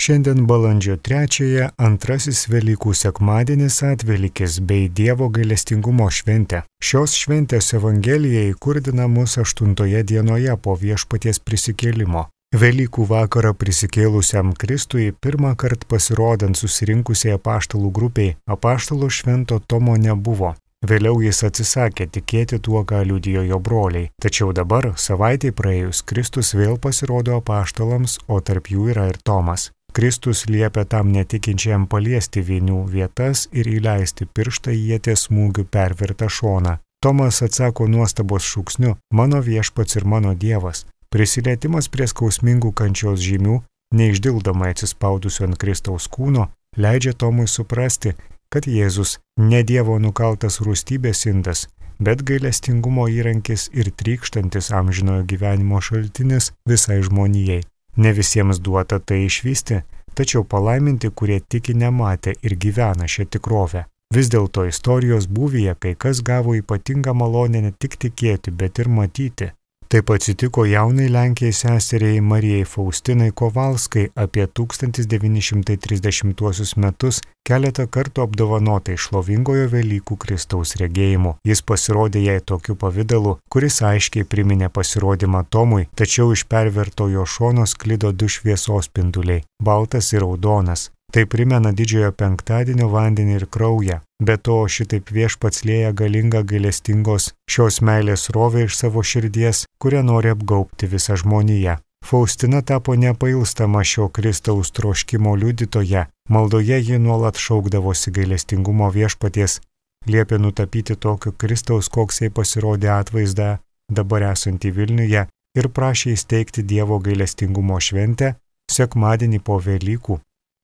Šiandien balandžio 3-ąją antrasis Velykų sekmadienis Atvelykis bei Dievo gailestingumo šventė. Šios šventės evangelija įkurdina mus 8 dienoje po Viešpaties prisikėlimo. Velykų vakarą prisikėlusiam Kristui pirmą kartą pasirodant susirinkusiai apaštalų grupiai, apaštalo Švento Tomo nebuvo. Vėliau jis atsisakė tikėti tuo, ką liudijo jo broliai. Tačiau dabar, savaitei praėjus, Kristus vėl pasirodo apaštalams, o tarp jų yra ir Tomas. Kristus liepia tam netikinčiam paliesti vinių vietas ir įleisti pirštą į ieties smūgių pervertą šoną. Tomas atsako nuostabos šūksniu: "Mano viešpats ir mano Dievas." Prisilietimas prie skausmingų kančios žymių, neišdildomai atsispaudusio ant Kristaus kūno, leidžia Tomui suprasti, kad Jėzus ne Dievo nukaltas rūstybės indas, bet gailestingumo įrankis ir trykštantis amžinojo gyvenimo šaltinis visai žmonijai. Ne visiems duota tai išvysti, tačiau palaiminti, kurie tiki nematę ir gyvena šią tikrovę. Vis dėlto istorijos būvyje kai kas gavo ypatingą malonę ne tik tikėti, bet ir matyti. Taip atsitiko jaunai Lenkijai seseriai Marijai Faustinai Kovalskai apie 1930 metus keletą kartų apdovanotai šlovingojo Velykų Kristaus regėjimu. Jis pasirodė jai tokiu pavidalu, kuris aiškiai priminė pasirodymą Tomui, tačiau iš pervertojo šono sklido du šviesos spinduliai - baltas ir raudonas. Tai primena didžiojo penktadienio vandenį ir kraują. Be to, šitaip Viešpats lieja galingą gailestingos šios meilės srovę iš savo širdies, kurią nori apgaubti visą žmoniją. Faustina tapo nepailstama šio Kristaus troškimo liudytoja. Maldoje ji nuolat šaukdavosi gailestingumo Viešpaties, liepė nutapyti tokio Kristaus, koks jai pasirodė atvaizdą, dabar esantį Vilniuje, ir prašė įsteigti Dievo gailestingumo šventę sekmadienį po Velykų.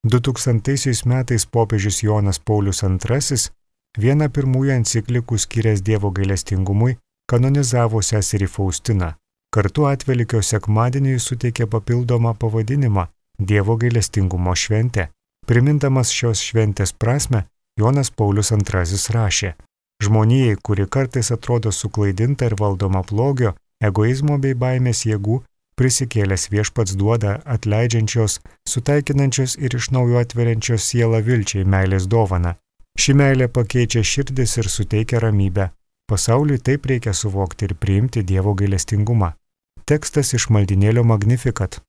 2000 metais popiežius Jonas Paulius II, vieną pirmųjų enciklikų skyręs Dievo gailestingumui, kanonizavo seserį Faustiną. Kartu Atvelykio sekmadieniui suteikė papildomą pavadinimą – Dievo gailestingumo šventė. Primindamas šios šventės prasmę, Jonas Paulius II rašė: "Žmonijai, kuri kartais atrodo suklaidinta ir valdoma blogio, egoizmo bei baimės jėgų, prisikėlęs Viešpats duoda atleidžiančios, sutaikinančios ir iš naujo atveriančios sielą vilčiai meilės dovaną. Ši meilė pakeičia širdis ir suteikia ramybę. Pasauliui taip reikia suvokti ir priimti Dievo gailestingumą." Tekstas iš maldynėlio Magnificat.